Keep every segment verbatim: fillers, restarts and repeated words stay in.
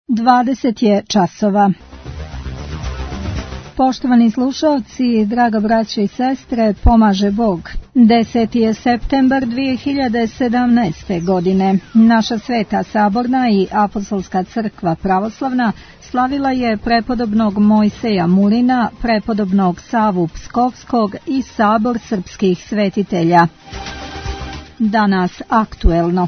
dvadeset je časova. Poštovani slušalci, draga braća i sestre, pomaže Bog. deseti je septembar dvije hiljade sedamnaeste. godine. Naša Sveta Saborna i Apostolska crkva pravoslavna slavila je prepodobnog Mojseja Mulina, prepodobnog Savu Pskovskog i sabor srpskih svetitelja. Danas aktuelno.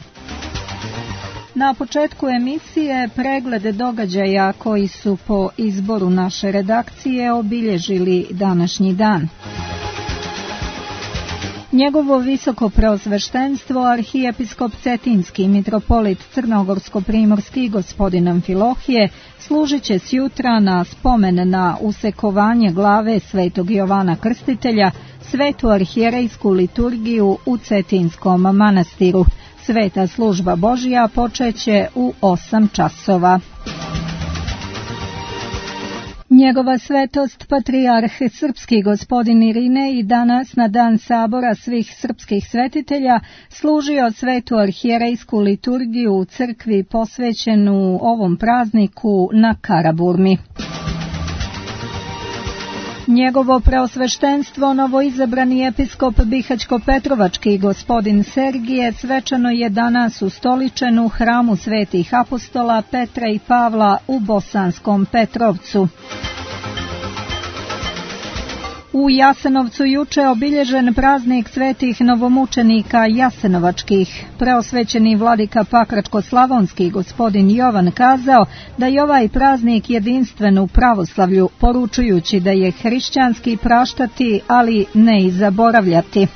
Na početku emisije pregled događaja koji su po izboru naše redakcije obilježili današnji dan. Njegovo visoko preosveštenstvo arhijepiskop Cetinski mitropolit Crnogorsko-primorski gospodin Amfilohije služit će sjutra na spomen na usekovanje glave svetog Jovana Krstitelja, svetu arhijerejsku liturgiju u Cetinskom manastiru. Sveta služba Božja počeće u osam časova. Njegova svetost patrijarh srpski gospodin Irinej danas na dan sabora svih srpskih svetitelja služio svetu arhijerejsku liturgiju u crkvi posvećenu ovom prazniku na Karaburmi. Njegovo preosveštenstvo novoizabrani episkop Bihaćko-Petrovački gospodin Sergije svečano je danas ustoličen u hramu svetih apostola Petra i Pavla u Bosanskom Petrovcu. U Jasenovcu juče obilježen praznik svetih novomučenika jasenovačkih. Preosvećeni vladika Pakračko-slavonski gospodin Jovan kazao da je ovaj praznik jedinstven u pravoslavlju, poručujući da je hrišćanski praštati, ali ne i zaboravljati.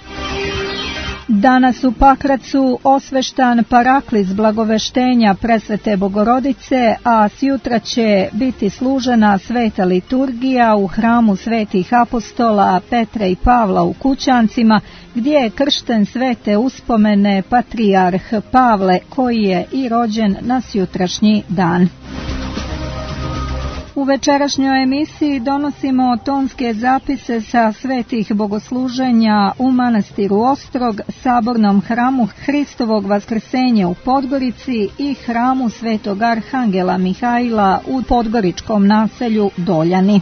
Danas u Pakracu osveštan paraklis blagoveštenja presvete Bogorodice, a sjutra će biti služena sveta liturgija u hramu svetih apostola Petra i Pavla u Kućancima, gdje je kršten svete uspomene patrijarh Pavle, koji je i rođen na sjutrašnji dan. U večerašnjoj emisiji donosimo tonske zapise sa svetih bogosluženja u manastiru Ostrog, sabornom hramu Hristovog vaskrsenja u Podgorici i hramu svetog arhangela Mihajla u podgoričkom naselju Doljani.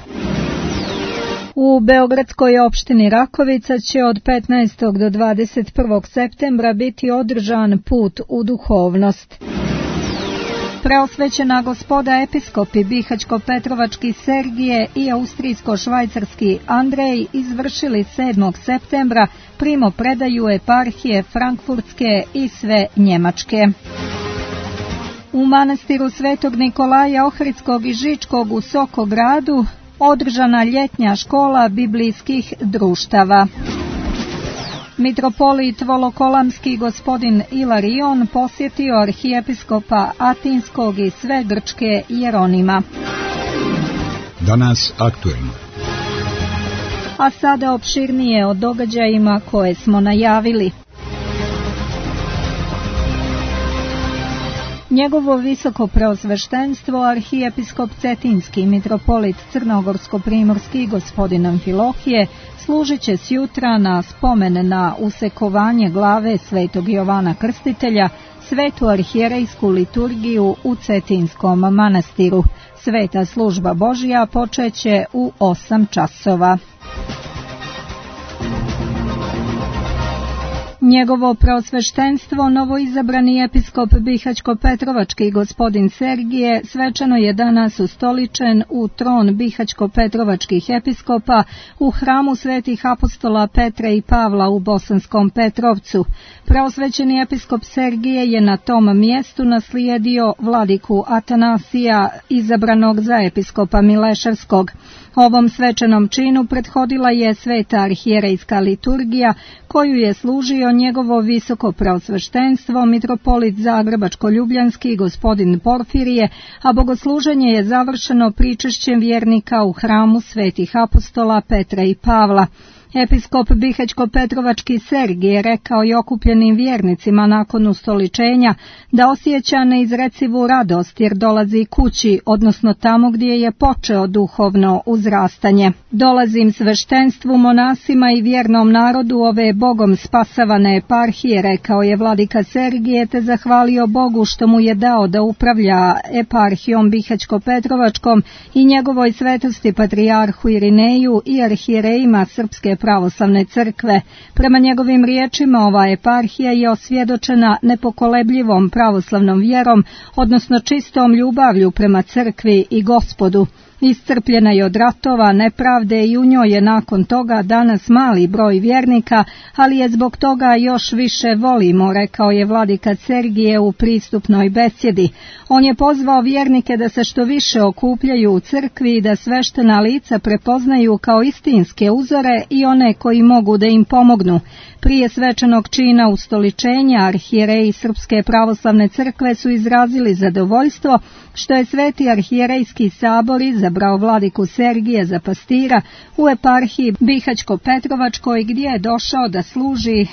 U beogradskoj opštini Rakovica će od petnaestog do dvadeset prvog septembra biti održan put u duhovnost. Preosvećena gospoda episkopi Bihaćko-Petrovački Sergije i austrijsko-švajcarski Andrej izvršili sedmog septembra primopredaju eparhije Frankfurtske i sve Njemačke. U manastiru Svetog Nikolaja Ohridskog i Žičkog u Sokogradu održana ljetnja škola biblijskih društava. Mitropolit Volokolamski gospodin Ilarion posjetio arhijepiskopa Atinskog i sve grčke Jeronima. Danas aktuelno. A sada opširnije o događajima koje smo najavili. Njegovo visoko preosveštenstvo arhijepiskop Cetinski mitropolit Crnogorsko-primorski gospodin Amfilohije služit će sjutra na spomen na usekovanje glave svetog Jovana Krstitelja, svetu arhijerejsku liturgiju u Cetinskom manastiru. Sveta služba Božja počeće u osam časova. Njegovo preosveštenstvo novoizabrani episkop Bihaćko-Petrovački gospodin Sergije svečano je danas ustoličen u tron Bihaćko-Petrovačkih episkopa u hramu svetih apostola Petra i Pavla u Bosanskom Petrovcu. Preosvećeni episkop Sergije je na tom mjestu naslijedio vladiku Atanasija, izabranog za episkopa Mileševskog. Ovom svečanom činu prethodila je sveta arhijerejska liturgija, koju je služio njegovo visoko preosveštenstvo mitropolit Zagrebačko-ljubljanski gospodin Porfirije, a bogosluženje je završeno pričešćem vjernika u hramu svetih apostola Petra i Pavla. Episkop Bihaćko-Petrovački Sergije rekao je okupljenim vjernicima nakon ustoličenja da osjeća neizrecivu radost jer dolazi kući, odnosno tamo gdje je počeo duhovno uzrastanje. Dolazim sveštenstvu, monasima i vjernom narodu ove Bogom spasavane eparhije, rekao je vladika Sergije, te zahvalio Bogu što mu je dao da upravlja eparhijom Bihaćko-Petrovačkom i njegovoj svetosti patrijarhu Irineju i arhijerejima Srpske pravoslavne crkve. Prema njegovim riječima, ova eparhija je osvjedočena nepokolebljivom pravoslavnom vjerom, odnosno čistom ljubavlju prema crkvi i Gospodu. Iscrpljena je od ratova, nepravde i u njoj je nakon toga danas mali broj vjernika, ali je zbog toga još više volimo, rekao je vladika Sergije u pristupnoj besjedi. On je pozvao vjernike da se što više okupljaju u crkvi i da sveštena lica prepoznaju kao istinske uzore i one koji mogu da im pomognu. Prije svečanog čina ustoličenja arhijereji Srpske pravoslavne crkve su izrazili zadovoljstvo što je Sveti arhijerejski sabor izabrao vladiku Sergije za pastira u eparhiji Bihaćko-Petrovačkoj, gdje je došao da služi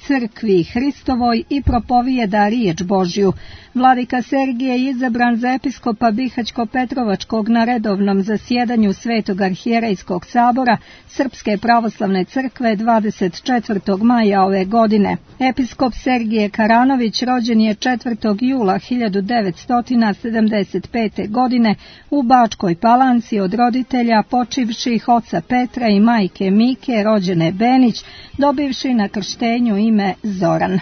crkvi Hristovoj i propovijeda riječ Božju. Vladika Sergije je izabran za episkopa Bihaćko-Petrovačkog na redovnom zasjedanju Svetog arhijerejskog sabora Srpske pravoslavne crkve dvadeset četvrtog maja ove godine. Episkop Sergije Karanović rođen je četvrtog jula hiljadu devetsto sedamdeset pete. godine u Bačkoj Palanci od roditelja počivših oca Petra i majke Mike, rođene Benić, dobivši na krštenju ime Zoran.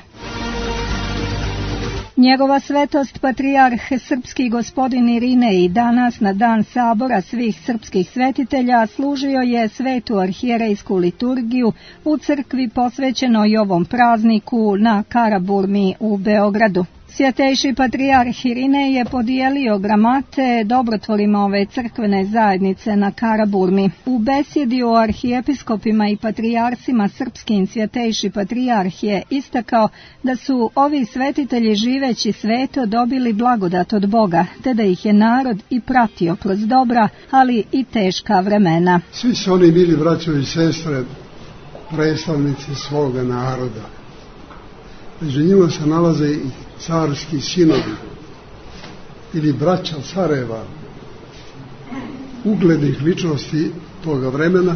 Njegova svetost patrijarh srpski gospodin Irinej danas na dan sabora svih srpskih svetitelja služio je svetu arhijerejsku liturgiju u crkvi posvećenoj ovom prazniku na Karaburmi u Beogradu. Svjetejši patrijarh Irinej je podijelio gramate dobrotvorima ove crkvene zajednice na Karaburmi. U besjedi o arhijepiskopima i patrijarsima srpskim svjetejši patrijarh je istakao da su ovi svetitelji živeći sveto dobili blagodat od Boga, te da ih je narod i pratio kroz dobra, ali i teška vremena. Svi su oni bili braćo i sestre, predstavnici svoga naroda. Među njima se nalaze i carski sinovi ili braća careva, uglednih ličnosti toga vremena,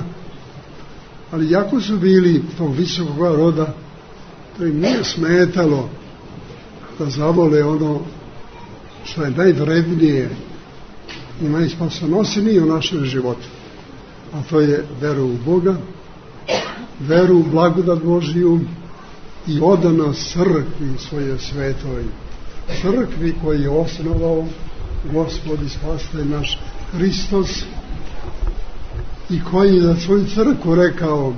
ali jako su bili tog visokog roda, to im nije smetalo da zavole ono što je najvrednije i najspasonosnije u našem životu, a to je veru u Boga, veru u blagodat Božiju i odanost crkvi svoje svetoj, crkvi koju je osnovao Gospod i Spasitelj naš Hristos i koji je za svoju crkvu rekao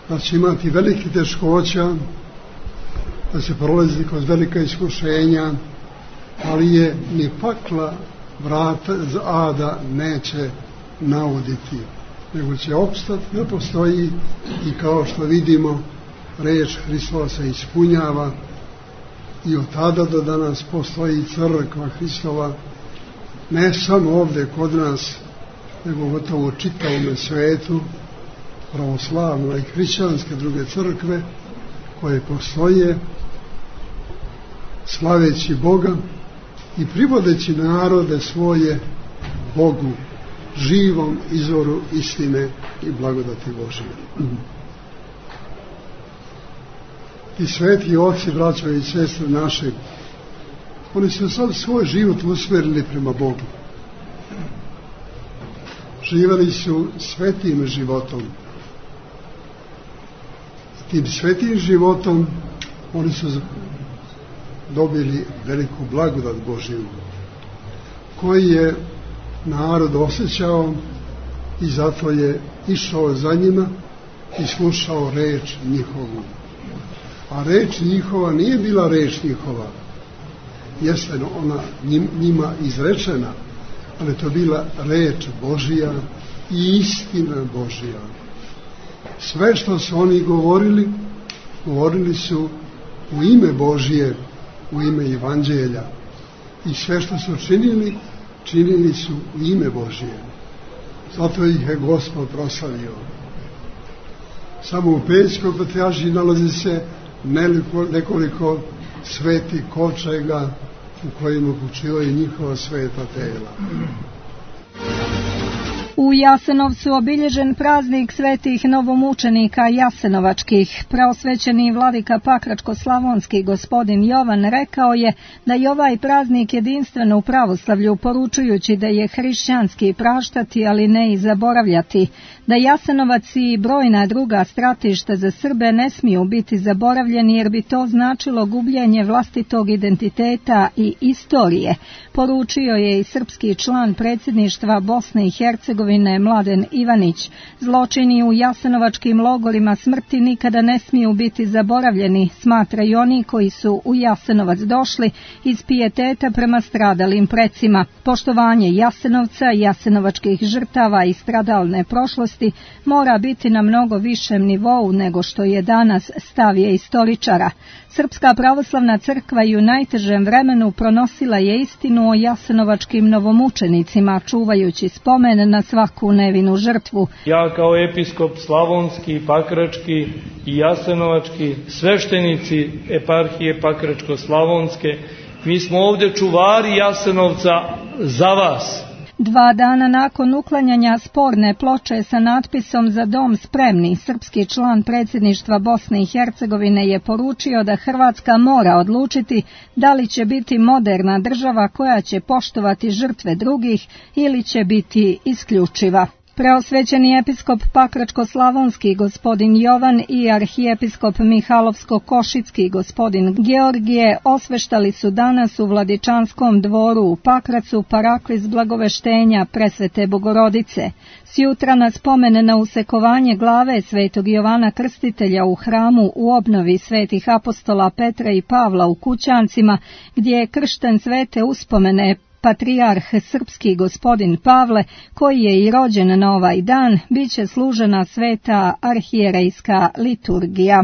da će imati velike teškoća, da se prolazi kroz velika iskušenja, ali je ni pakla vrata za ada neće nauditi, nego će opstati, ne postoji i kao što vidimo reč Hristova se ispunjava i od tada do danas postoji crkva Hristova, ne samo ovdje kod nas, nego gotovo u čitavom svetu, pravoslavno i hrišćanske druge crkve koje postoje, slaveći Boga i privodeći narode svoje Bogu, živom izvoru istine i blagodati Božije. I sveti oci, braćo i sestre naše, oni su sad svoj život usmjerili prema Bogu. Živjeli su svetim životom. Tim svetim životom oni su dobili veliku blagodat Božiju, koji je narod osjećao i zato je išao za njima i slušao reč njihovu. A reč njihova nije bila reč njihova, jeste ona njima izrečena, ali to bila reč Božija i istina Božija. Sve što su oni govorili, govorili su u ime Božije, u ime Evanđelja. I sve što su činili, činili su u ime Božije. Zato ih je Gospod proslavio. samo u Pećkoj patrijaršiji nalazi se nekoliko, nekoliko svetih kovčega u kojima počivaju njihova sveta tela. U Jasenovcu obilježen praznik svetih novomučenika jasenovačkih. Preosvećeni vladika Pakračko-slavonski gospodin Jovan rekao je da je ovaj praznik jedinstven u pravoslavlju, poručujući da je hrišćanski praštati, ali ne i zaboravljati, da Jasenovac i brojna druga stratišta za Srbe ne smiju biti zaboravljeni jer bi to značilo gubljenje vlastitog identiteta i istorije, poručio je i srpski član predsjedništva Bosne i Hercegovine Mladen Ivanić. Zločini u jasenovačkim logorima smrti nikada ne smiju biti zaboravljeni, smatraju oni koji su u Jasenovac došli iz pijeteta prema stradalim precima. Poštovanje Jasenovca, jasenovačkih žrtava i stradalne prošlosti mora biti na mnogo višem nivou nego što je danas, stav je istoričara. Srpska pravoslavna crkva i u najtežem vremenu pronosila je istinu o jasenovačkim novomučenicima, čuvajući spomen na svaku nevinu žrtvu. Ja kao episkop slavonski, pakrački i jasenovački, sveštenici eparhije Pakračko-slavonske, mi smo ovdje čuvari Jasenovca za vas. Dva dana nakon uklanjanja sporne ploče sa natpisom "Za dom spremni", srpski član predsjedništva Bosne i Hercegovine je poručio da Hrvatska mora odlučiti da li će biti moderna država koja će poštovati žrtve drugih ili će biti isključiva. Preosvećeni episkop Pakračko-slavonski gospodin Jovan i arhijepiskop Mihalovsko-košicki gospodin Georgije osveštali su danas u Vladičanskom dvoru u Pakracu paraklis blagoveštenja Presvete Bogorodice. Sjutra na spomen na usekovanje glave svetog Jovana Krstitelja u hramu u obnovi svetih apostola Petra i Pavla u Kućancima, gdje je kršten svete uspomene patrijarh srpski gospodin Pavle, koji je i rođen na ovaj dan, bit će služena sveta arhijerejska liturgija.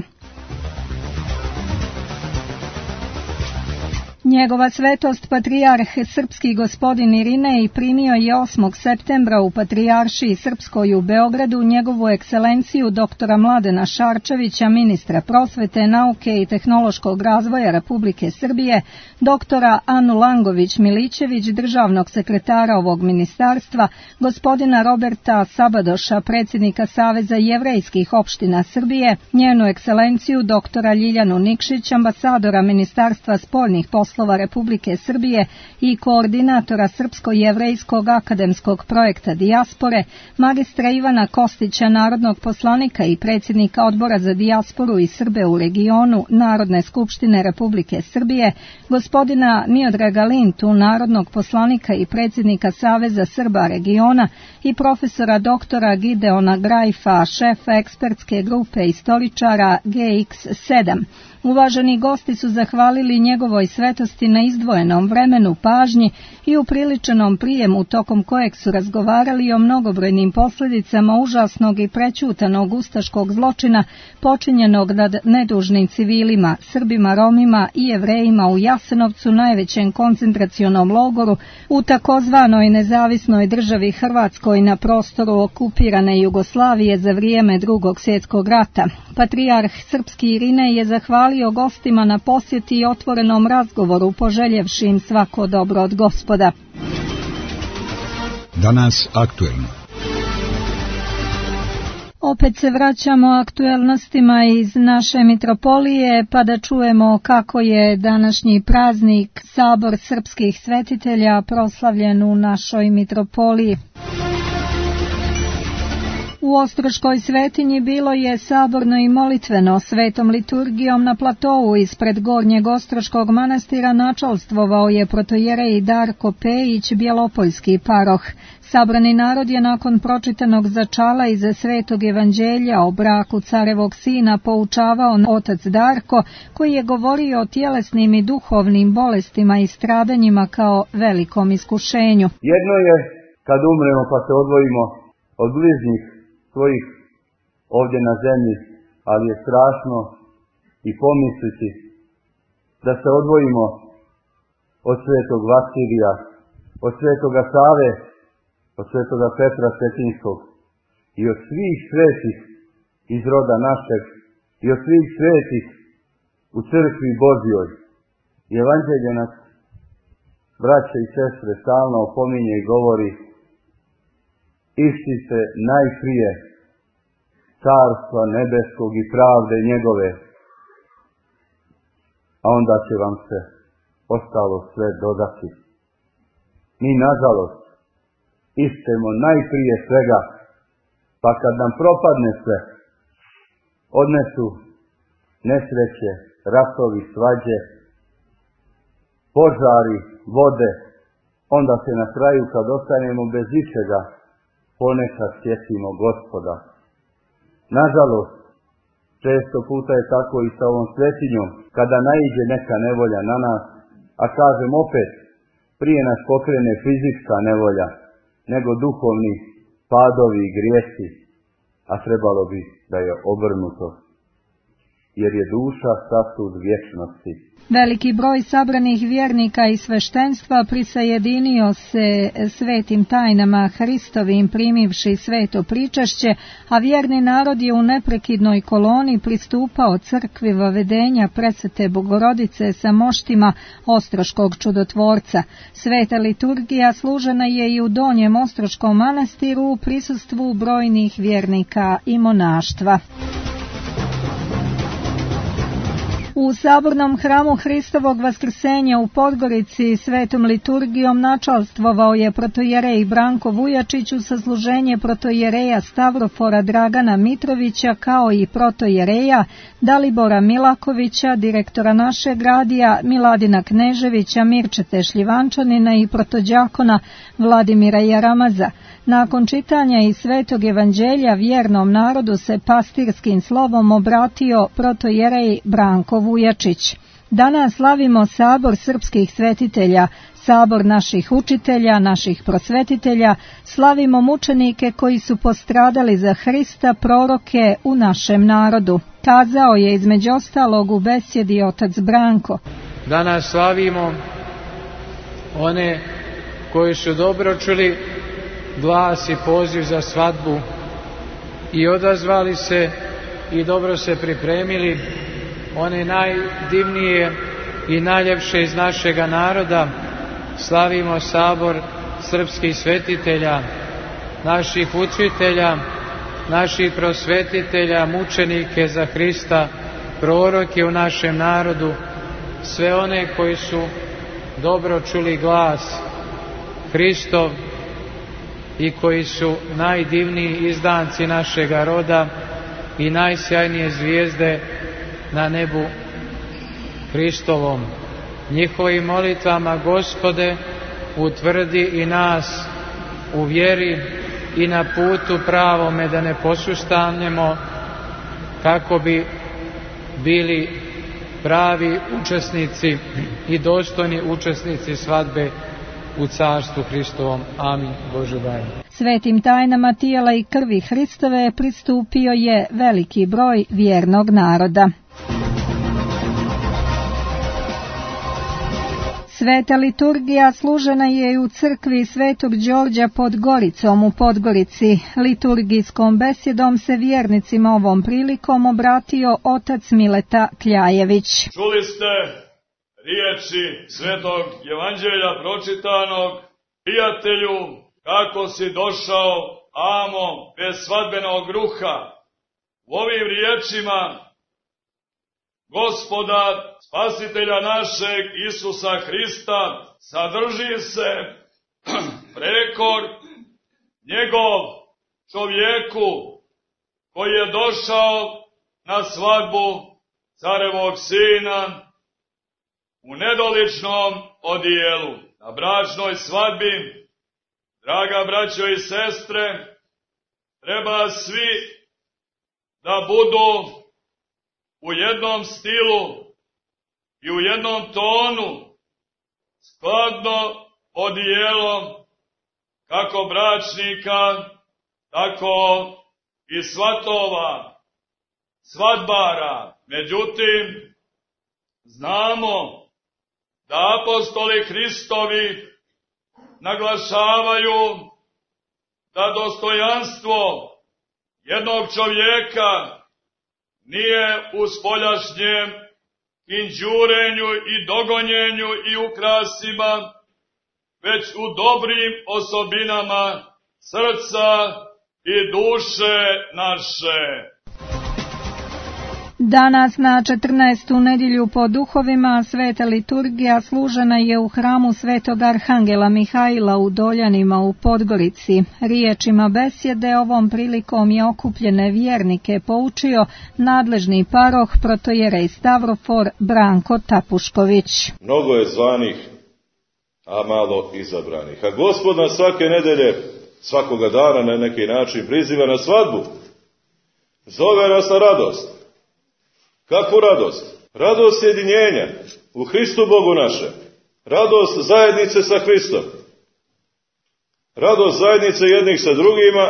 Njegova svetost patrijarh srpski gospodin Irinej primio je osmog septembra u Patrijaršiji Srpskoj u Beogradu njegovu ekscelenciju doktora Mladena Šarčevića, ministra prosvete, nauke i tehnološkog razvoja Republike Srbije, doktora Anu Langović-Milićević, državnog sekretara ovog ministarstva, gospodina Roberta Sabadoša, predsjednika Saveza jevrejskih opština Srbije, njenu ekscelenciju doktora Ljiljanu Nikšić, ambasadora Ministarstva spoljnih poslova Republike Srbije i koordinatora Srpsko-jevrejskog akademskog projekta Dijaspore, magistra Ivana Kostića, narodnog poslanika i predsjednika Odbora za dijasporu i Srbe u regionu Narodne skupštine Republike Srbije, gospodina Miodraga Lintu, narodnog poslanika i predsjednika Saveza Srba regiona i profesora doktora Gideona Grajfa, šefa ekspertske grupe istoričara G X sedam. Uvaženi gosti su zahvalili njegovoj svetosti na izdvojenom vremenu, pažnji i upriličenom prijemu tokom kojeg su razgovarali o mnogobrojnim posljedicama užasnog i prećutanog ustaškog zločina počinjenog nad nedužnim civilima, Srbima, Romima i Jevrejima u Jasenovcu, najvećem koncentracionom logoru u takozvanoj nezavisnoj državi Hrvatskoj na prostoru okupirane Jugoslavije za vrijeme Drugog svjetskog rata. Patrijarh srpski Irinej je zahvalio gostima na posjeti i otvorenom razgovoru, poželjevši im svako dobro od Gospoda. Danas aktuelno. Opet se vraćamo aktuelnostima iz naše mitropolije, pa da čujemo kako je današnji praznik Sabor srpskih svetitelja proslavljen u našoj mitropoliji. U Ostroškoj svetinji bilo je saborno i molitveno. Svetom liturgijom na platovu ispred Gornjeg Ostroškog manastira načalstvovao je protojerej Darko Pejić, bjelopoljski paroh. Sabrani narod je nakon pročitanog začala iz Svetog evanđelja o braku carevog sina poučavao otac Darko, koji je govorio o tjelesnim i duhovnim bolestima i stradanjima kao velikom iskušenju. Jedno je kad umremo pa se odvojimo od bližnjih svojih ovdje na zemlji, ali je strašno i pomisliti da se odvojimo od svetog Vasilija, od svetoga Save, od svetoga Petra Cetinskog i od svih svetih iz roda našeg i od svih svetih u crkvi Božjoj. I evanđelje nas, braće i sestre, stalno opominje i govori: ištite najprije carstva nebeskog i pravde njegove, a onda će vam se ostalo sve dodati. Mi, nažalost, ištemo najprije svega, pa kad nam propadne sve, odnesu nesreće, ratovi, svađe, požari, vode, onda se na kraju, kad ostanemo bez ičega, ponekad sjetimo Gospoda. Nažalost, često puta je tako i sa ovom svetinjom, kada naiđe neka nevolja na nas, a kažem opet, prije nas pokrene fizička nevolja, nego duhovni padovi i grijesi, a trebalo bi da je obrnuto, jer je duša sasud vječnosti. Veliki broj sabranih vjernika i sveštenstva prisajedinio se svetim tajnama Hristovim primivši sveto pričašće, a vjerni narod je u neprekidnoj koloni pristupao crkvi vavedenja presvete Bogorodice sa moštima Ostroškog čudotvorca. Sveta liturgija služena je i u Donjem Ostroškom manastiru u prisustvu brojnih vjernika i monaštva. U sabornom hramu Hristovog vaskrsenja u Podgorici svetom liturgijom načalstvovao je protojerej Branko Vujačić u sasluženje protojereja Stavrofora Dragana Mitrovića kao i protojereja Dalibora Milakovića, direktora našeg radija, Miladina Kneževića, Mirčete Šljivančanina i protođakona Vladimira Jaramaza. Nakon čitanja iz Svetog evanđelja vjernom narodu se pastirskim slovom obratio protojerej Branko Vujačić. Danas slavimo sabor srpskih svetitelja, sabor naših učitelja, naših prosvetitelja, slavimo mučenike koji su postradali za Hrista, proroke u našem narodu. Kazao je između ostalog u besjedi otac Branko. Danas slavimo one koji su dobro čuli glas i poziv za svadbu i odazvali se i dobro se pripremili, one najdivnije i najljepše iz našega naroda. Slavimo sabor srpskih svetitelja, naših učitelja, naših prosvetitelja, mučenike za Hrista, proroke u našem narodu, sve one koji su dobro čuli glas Hristov i koji su najdivniji izdanci našega roda i najsjajnije zvijezde na nebu Hristovom. Njihovim molitvama, Gospode, utvrdi i nas u vjeri i na putu pravome, da ne posustanemo, kako bi bili pravi učesnici i dostojni učesnici svadbe u carstvu Hristovom. Amin. Bože daj. Svetim tajnama tijela i krvi Hristove pristupio je veliki broj vjernog naroda. Sveta liturgija služena je i u crkvi Svetog Đorđa pod Goricom u Podgorici. Liturgijskom besjedom se vjernicima ovom prilikom obratio otac Mileta Kljajević. Čuli ste riječi Svetog Evanđelja pročitanog: prijatelju, kako si došao, amo, bez svadbenog ruha. U ovim riječima Gospoda, Spasitelja našeg Isusa Hrista, sadrži se prekor njegov čovjeku koji je došao na svadbu carevog sina u nedoličnom odijelu. Na bračnoj svadbi, draga braćo i sestre, treba svi da budu u jednom stilu i u jednom tonu, skladno odijelom kako bračnika, tako i svatova, svadbara. Međutim, znamo da apostoli Hristovi naglašavaju da dostojanstvo jednog čovjeka nije u spoljašnjem kinđurenju i dogonjenju i ukrasima, već u dobrim osobinama srca i duše naše. Danas na četrnaestu nedjelju po duhovima sveta liturgija služena je u hramu svetog arhangela Mihajla u Doljanima u Podgorici. Riječima besjede ovom prilikom je okupljene vjernike poučio nadležni paroh protojerej Stavrofor Branko Tapušković. Mnogo je zvanih, a malo izabranih. A Gospod nas svake nedelje, svakoga dana na neki način priziva na svadbu. Zove nas na radost. Kakvu radost? Radost sjedinjenja u Hristu Bogu naše. Radost zajednice sa Hristom. Radost zajednice jednih sa drugima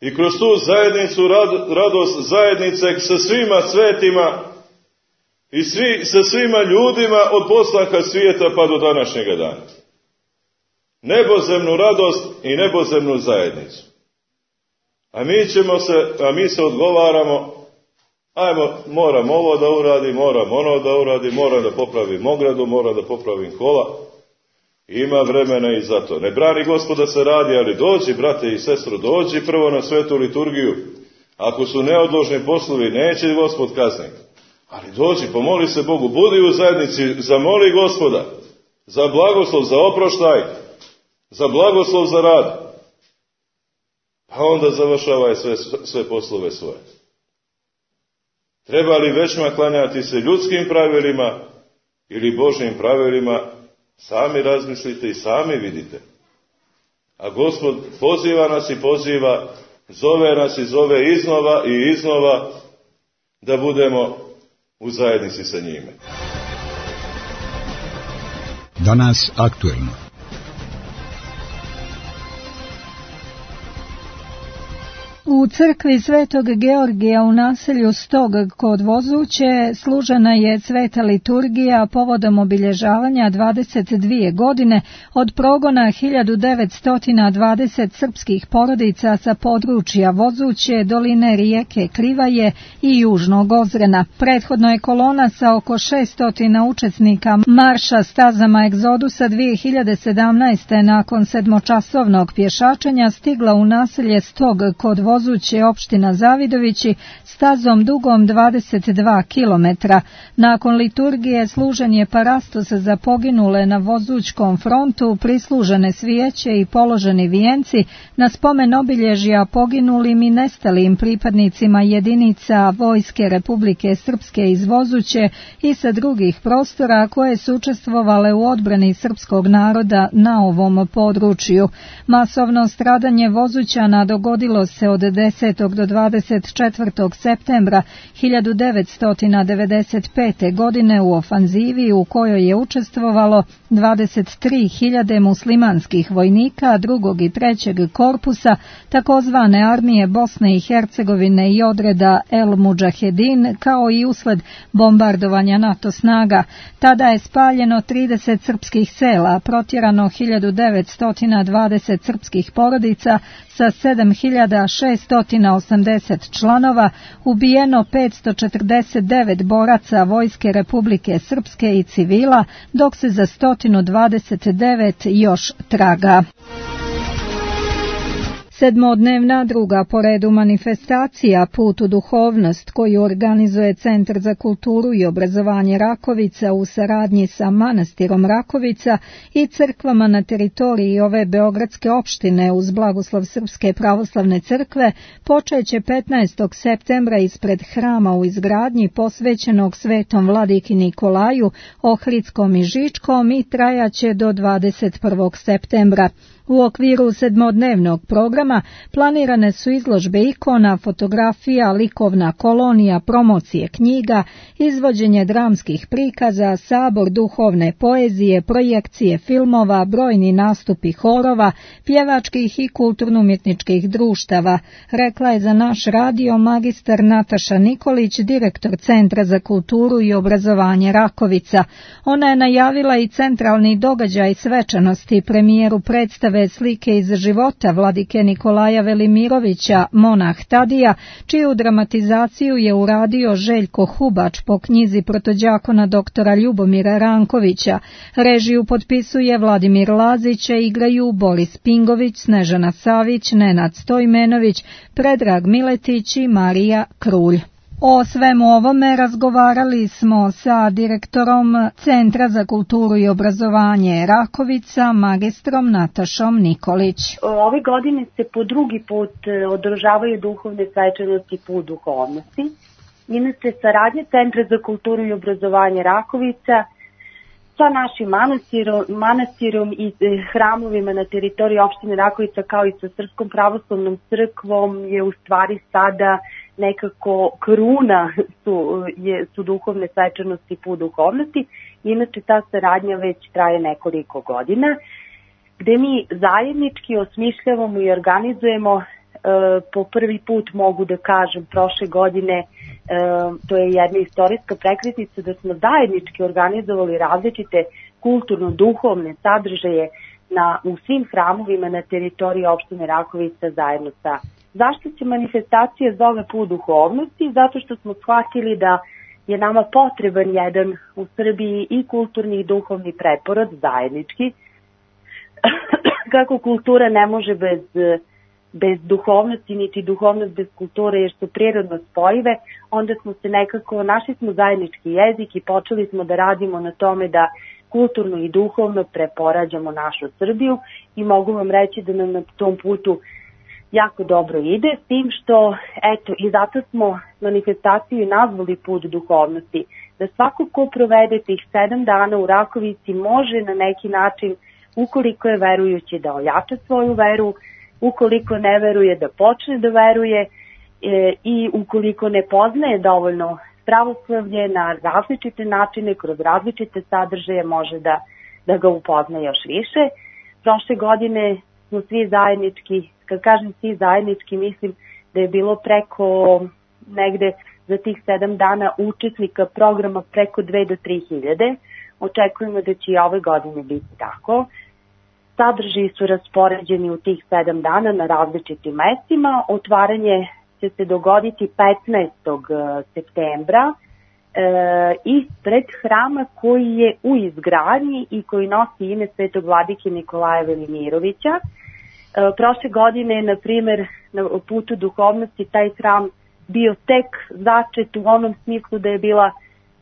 i kroz tu zajednicu radost zajednice sa svima svetima i svi, sa svima ljudima od postanka svijeta pa do današnjega dana. Nebozemnu radost i nebozemnu zajednicu. A mi ćemo se, a mi se odgovaramo, ajmo, moram ovo da uradim, moram ono da uradim, moram da popravim ogradu, moram da popravim kola. Ima vremena i za to. Ne brani Gospod da se radi, ali dođi, brate i sestro, dođi prvo na svetu liturgiju. Ako su neodložni poslovi, neće Gospod kazniti. Ali dođi, pomoli se Bogu, budi u zajednici, zamoli Gospoda za blagoslov, za oproštaj, za blagoslov za rad. Pa onda završavaj sve, sve poslove svoje. Treba li većma klanjati se ljudskim pravilima ili Božjim pravilima, sami razmislite i sami vidite. A Gospod poziva nas i poziva, zove nas i zove iznova i iznova da budemo u zajednici sa njime. Danas aktuelno. U crkvi Svetog Georgija u naselju Stog kod Vozuće služena je sveta liturgija povodom obilježavanja dvadeset dvije godine od progona hiljadu devetsto dvadeset srpskih porodica sa područja Vozuće, doline rijeke Krivaje i Južnog Ozrena. Prethodno je kolona sa oko šesto učesnika marša stazama egzodusa dvije hiljade sedamnaeste. nakon sedmočasovnog pješačenja stigla u naselje Stog kod Vozuće, Vozuće, opština Zavidovići, stazom dugom dvadeset dva kilometra. Nakon liturgije služen je parastos za poginule na Vozućkom frontu, prislužene svijeće i položeni vijenci na spomen obilježja poginulim i nestalim pripadnicima jedinica Vojske Republike Srpske iz Vozuće i sa drugih prostora koje su učestvovale u odbrani srpskog naroda na ovom području. Masovno stradanje Vozućana dogodilo se od desetog do dvadeset četvrtog septembra hiljadu devetsto devedeset pete. godine u ofanzivi u kojoj je učestvovalo dvadeset tri hiljade muslimanskih vojnika drugog i trećeg korpusa takozvane armije Bosne i Hercegovine i odreda El Mudžahedin, kao i usled bombardovanja NATO snaga. Tada je spaljeno trideset srpskih sela, protjerano hiljadu devetsto dvadeset srpskih porodica sa sedam hiljada šesto osamdeset članova, ubijeno petsto četrdeset devet boraca Vojske Republike Srpske i civila, dok se za sto dvadeset devet još traga. Sedmodnevna druga po redu manifestacija Put u duhovnost, koju organizuje Centar za kulturu i obrazovanje Rakovica u saradnji sa manastirom Rakovica i crkvama na teritoriji ove beogradske opštine uz blagoslov Srpske pravoslavne crkve, počeće petnaestog septembra ispred hrama u izgradnji posvećenog Svetom vladiki Nikolaju, Ohridskom i Žičkom i trajaće do dvadeset prvog septembra. U okviru sedmodnevnog programa planirane su izložbe ikona, fotografija, likovna kolonija, promocije knjiga, izvođenje dramskih prikaza, sabor duhovne poezije, projekcije filmova, brojni nastupi horova, pjevačkih i kulturno-umjetničkih društava, rekla je za naš radio magistar Nataša Nikolić, direktor Centra za kulturu i obrazovanje Rakovica. Ona je najavila i centralni događaj svečanosti, premijeru predstave vidljive slike iz života vladike Nikolaja Velimirovića, monah Tadija, čiju dramatizaciju je uradio Željko Hubač po knjizi protođakona doktora Ljubomira Rankovića. Režiju potpisuje Vladimir Lazić, igraju Boris Pingović, Snežana Savić, Nenad Stojmenović, Predrag Miletić i Marija Krulj. O svemu ovome razgovarali smo sa direktorom Centra za kulturu i obrazovanje Rakovica, magistrom Natašom Nikolić. Ove godine se po drugi put održavaju duhovne svečanosti Put duhovnosti. Inače, saradnja Centra za kulturu i obrazovanje Rakovica sa našim manastirom, manastirom i hramovima na teritoriji opštine Rakovica kao i sa Srpskom pravoslavnom crkvom je u stvari sada nekako kruna su, je, su duhovne svečanosti Put duhovnosti. Inače, ta saradnja već traje nekoliko godina, gde mi zajednički osmišljavamo i organizujemo, e, po prvi put mogu da kažem, prošle godine, e, to je jedna istorijska prekretnica da smo zajednički organizovali različite kulturno-duhovne sadržaje na, u svim hramovima na teritoriji opštine Rakovica zajedno sa. Zašto se manifestacija zove Put duhovnosti? Zato što smo shvatili da je nama potreban jedan u Srbiji i kulturni i duhovni preporod zajednički. Kako kultura ne može bez, bez duhovnosti, niti duhovnost bez kulture, jer su prirodno spojive, onda smo se nekako, našli smo zajednički jezik i počeli smo da radimo na tome da kulturno i duhovno preporađamo našu Srbiju i mogu vam reći da nam na tom putu jako dobro ide, s tim što, eto, i zato smo manifestaciju nazvali Put duhovnosti, da svako ko provede tih sedam dana u Rakovici može na neki način, ukoliko je verujući, da ojača svoju veru, ukoliko ne veruje da počne da veruje e, i ukoliko ne poznaje dovoljno pravoslavlje na različite načine, kroz različite sadržaje može da, da ga upozna još više. Prošle godine smo svi zajednički, kad kažem svi zajednički, mislim da je bilo preko negde za tih sedam dana učesnika programa preko dve do tri hiljade. Očekujemo da će i ove godine biti tako. Sadržaji su raspoređeni u tih sedam dana na različitim mestima. Otvaranje će se dogoditi petnaestog septembra e, ispred hrama koji je u izgradnji i koji nosi ime Svetog vladike Nikolaja Velimirovića. E, prošle godine, na primer, na Putu duhovnosti taj hram bio tek začet u onom smislu da je bila,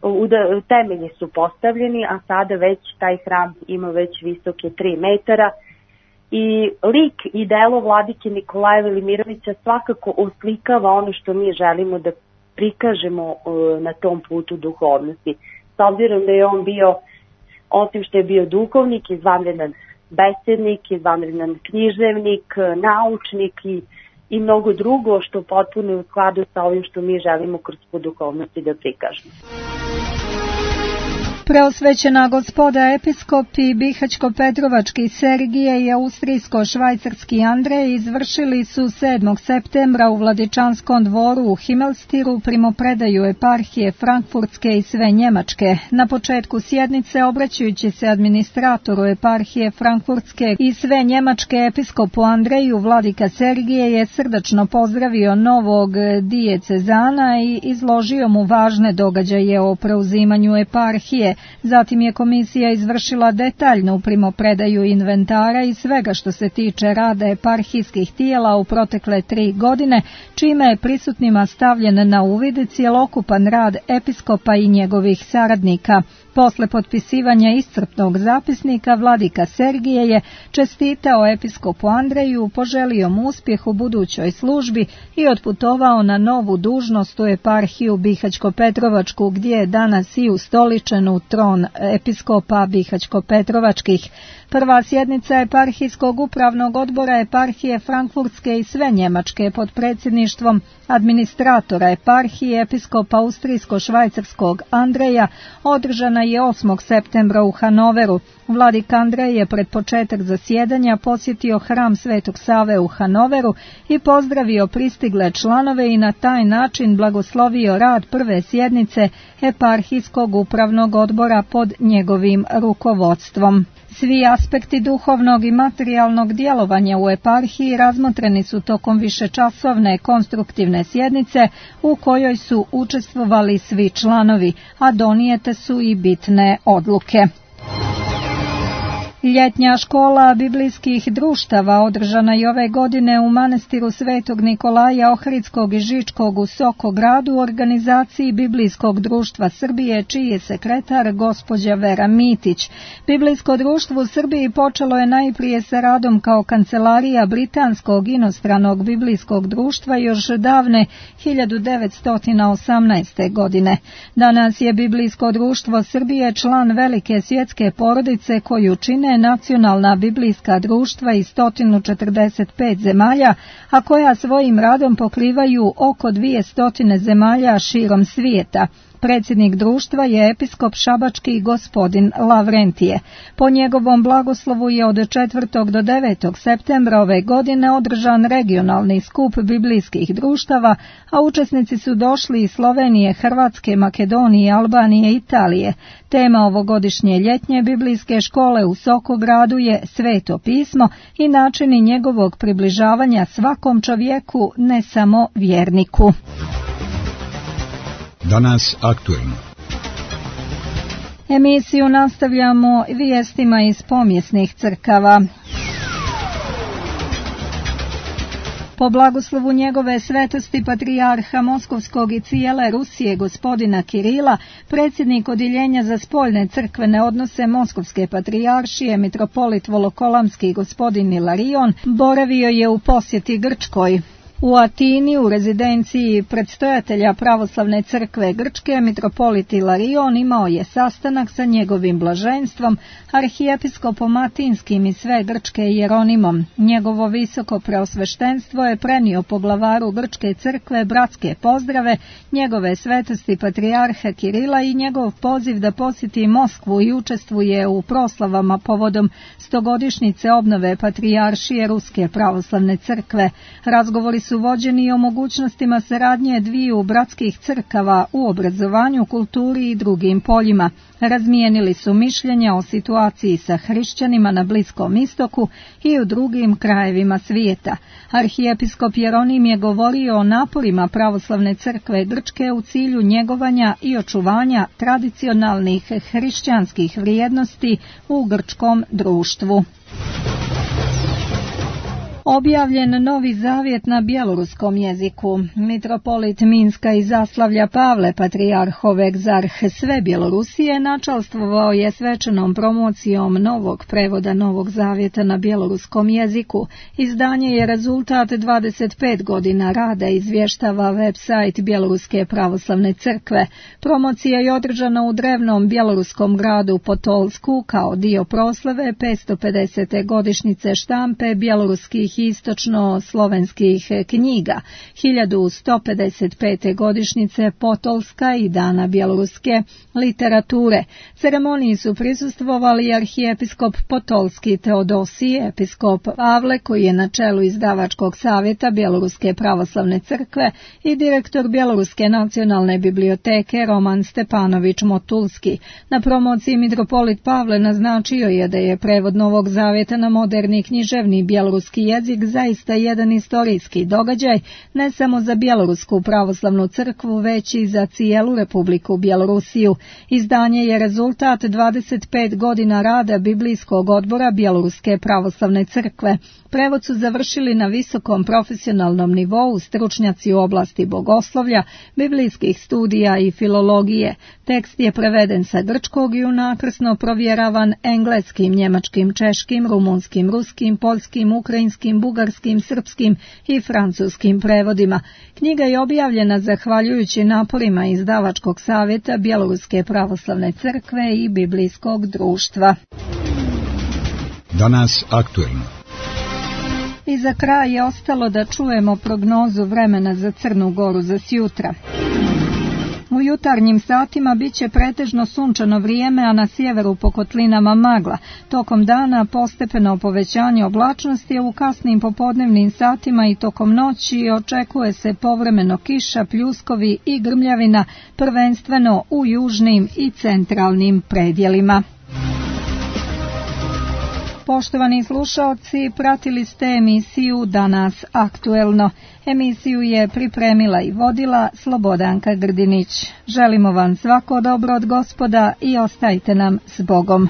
da temelji su postavljeni, a sada već taj hram ima već visoke tri metara. I lik i delo vladike Nikolaja Velimirovića svakako oslikava ono što mi želimo da prikažemo na tom putu duhovnosti. S obzirom da je on bio, osim što je bio duhovnik, izvanredan besednik, izvanredan književnik, naučnik i, i mnogo drugo što potpuno je u skladu sa ovim što mi želimo kroz put duhovnosti da prikažemo. Preosvećena gospoda episkop i bihaćko-petrovački Sergije i austrijsko-švajcarski Andrej izvršili su sedmog septembra u Vladičanskom dvoru u Himmelstiru primopredaju eparhije Frankfurtske i sve Njemačke. Na početku sjednice, obraćajući se administratoru eparhije Frankfurtske i sve Njemačke episkopu Andreju, vladika Sergije je srdačno pozdravio novog dijecezana i izložio mu važne događaje o preuzimanju eparhije. Zatim je komisija izvršila detaljnu primopredaju inventara i svega što se tiče rada eparhijskih tijela u protekle tri godine, čime je prisutnima stavljen na uvid cjelokupan rad episkopa i njegovih saradnika. Posle potpisivanja iscrpnog zapisnika, vladika Sergije je čestitao episkopu Andreju, poželio mu uspjeh u budućoj službi i otputovao na novu dužnost u eparhiju Bihaćko-Petrovačku, gdje je danas i ustoličen u tron episkopa Bihaćko-Petrovačkih. Prva sjednica eparhijskog upravnog odbora eparhije Frankfurtske i sve Njemačke pod predsjedništvom administratora eparhije episkopa austrijsko-švajcarskog Andreja održana je osmog septembra u Hanoveru. Vladik Andrej je pred početak zasjedanja posjetio hram Svetog Save u Hanoveru i pozdravio pristigle članove i na taj način blagoslovio rad prve sjednice eparhijskog upravnog odbora pod njegovim rukovodstvom. Svi aspekti duhovnog i materijalnog djelovanja u eparhiji razmotreni su tokom višečasovne konstruktivne sjednice u kojoj su učestvovali svi članovi, a donijete su i bitne odluke. Ljetnja škola biblijskih društava održana i ove godine u manastiru Svetog Nikolaja Ohridskog i Žičkog u Sokogradu u organizaciji Biblijskog društva Srbije, čiji je sekretar gospođa Vera Mitić. Biblijsko društvo u Srbiji počelo je najprije sa radom kao kancelarija Britanskog inostranog biblijskog društva još davne hiljadu devetsto osamnaeste. godine. Danas je Biblijsko društvo Srbije član velike svjetske porodice koju čine nacionalna biblijska društva iz sto četrdeset pet zemalja, a koja svojim radom pokrivaju oko dvjesto zemalja širom svijeta. Predsjednik društva je episkop šabački gospodin Lavrentije. Po njegovom blagoslovu je od četvrtog do devetog septembra ove godine održan regionalni skup biblijskih društava, a učesnici su došli iz Slovenije, Hrvatske, Makedonije, Albanije i Italije. Tema ovogodišnje ljetnje biblijske škole u Sokogradu je Sveto pismo i načini njegovog približavanja svakom čovjeku, ne samo vjerniku. Danas aktuelno. Emisiju nastavljamo vijestima iz pomjesnih crkava. Po blagoslovu njegove svetosti patrijarha Moskovskog i cijele Rusije gospodina Kirila, predsjednik odjeljenja za spoljne crkvene odnose Moskovske patrijaršije mitropolit Volokolamski gospodin Ilarion boravio je u posjeti Grčkoj. U Atini, u rezidenciji predstojatelja pravoslavne crkve Grčke, mitropolit Ilarion imao je sastanak sa njegovim blaženstvom, arhijepiskopom Atinskim i sve Grčke Jeronimom. Njegovo visoko preosveštenstvo je prenio poglavaru Grčke crkve bratske pozdrave, njegove svetosti patrijarha Kirila i njegov poziv da posjeti Moskvu i učestvuje u proslavama povodom stogodišnjice obnove patrijaršije Ruske pravoslavne crkve. Razgovori su vođeni o mogućnostima saradnje dviju bratskih crkava u obrazovanju, kulturi i drugim poljima. Razmijenili su mišljenja o situaciji sa hrišćanima na Bliskom istoku i u drugim krajevima svijeta. Arhijepiskop Jeronim je govorio o naporima pravoslavne crkve Grčke u cilju njegovanja i očuvanja tradicionalnih hrišćanskih vrijednosti u grčkom društvu. Objavljen Novi Zavjet na bjeloruskom jeziku. Mitropolit Minska i Zaslavlja Pavle, patrijarhov egzarh sve Bjelorusije, načalstvovao je svečanom promocijom novog prevoda Novog Zavjeta na bjeloruskom jeziku. Izdanje je rezultat dvadeset pet godina rada, izvještava web-sajt Bjeloruske pravoslavne crkve. Promocija je održana u drevnom bjeloruskom gradu Potolsku kao dio proslave petsto pedesete godišnjice štampe bjeloruskih istočno-slovenskih knjiga, hiljadu sto pedeset pete godišnjice Potolska i Dana bjeloruske literature. Ceremoniji su prisustvovali arhijepiskop Potolski Teodosije, episkop Pavle, koji je na čelu izdavačkog savjeta Bjeloruske pravoslavne crkve, i direktor Bjeloruske nacionalne biblioteke Roman Stepanović Motulski. Na promociji mitropolit Pavle naznačio je da je prevod Novog Zavjeta na moderni književni bjeloruski jezik zaista jedan istorijski događaj, ne samo za Bjelorusku pravoslavnu crkvu, već i za cijelu Republiku Bjelorusiju. Izdanje je rezultat dvadeset pet godina rada Biblijskog odbora Bjeloruske pravoslavne crkve. Prevod su završili na visokom profesionalnom nivou stručnjaci u oblasti bogoslovlja, biblijskih studija i filologije. Tekst je preveden sa grčkog i unakrsno provjeravan engleskim, njemačkim, češkim, rumunskim, ruskim, poljskim, ukrajinskim, bugarskim, srpskim i francuskim prevodima. Knjiga je objavljena zahvaljujući naporima izdavačkog savjeta Bjeloruske pravoslavne crkve i Biblijskog društva. Danas aktuelno. I za kraj je ostalo da čujemo prognozu vremena za Crnu Goru za sjutra. U jutarnjim satima bit će pretežno sunčano vrijeme, a na sjeveru po kotlinama magla. Tokom dana postepeno povećanje oblačnosti, a u kasnim popodnevnim satima i tokom noći očekuje se povremeno kiša, pljuskovi i grmljavina, prvenstveno u južnim i centralnim predjelima. Poštovani slušaoci, pratili ste emisiju Danas aktuelno. Emisiju je pripremila i vodila Slobodanka Grdinić. Želimo vam svako dobro od Gospoda i ostajte nam s Bogom.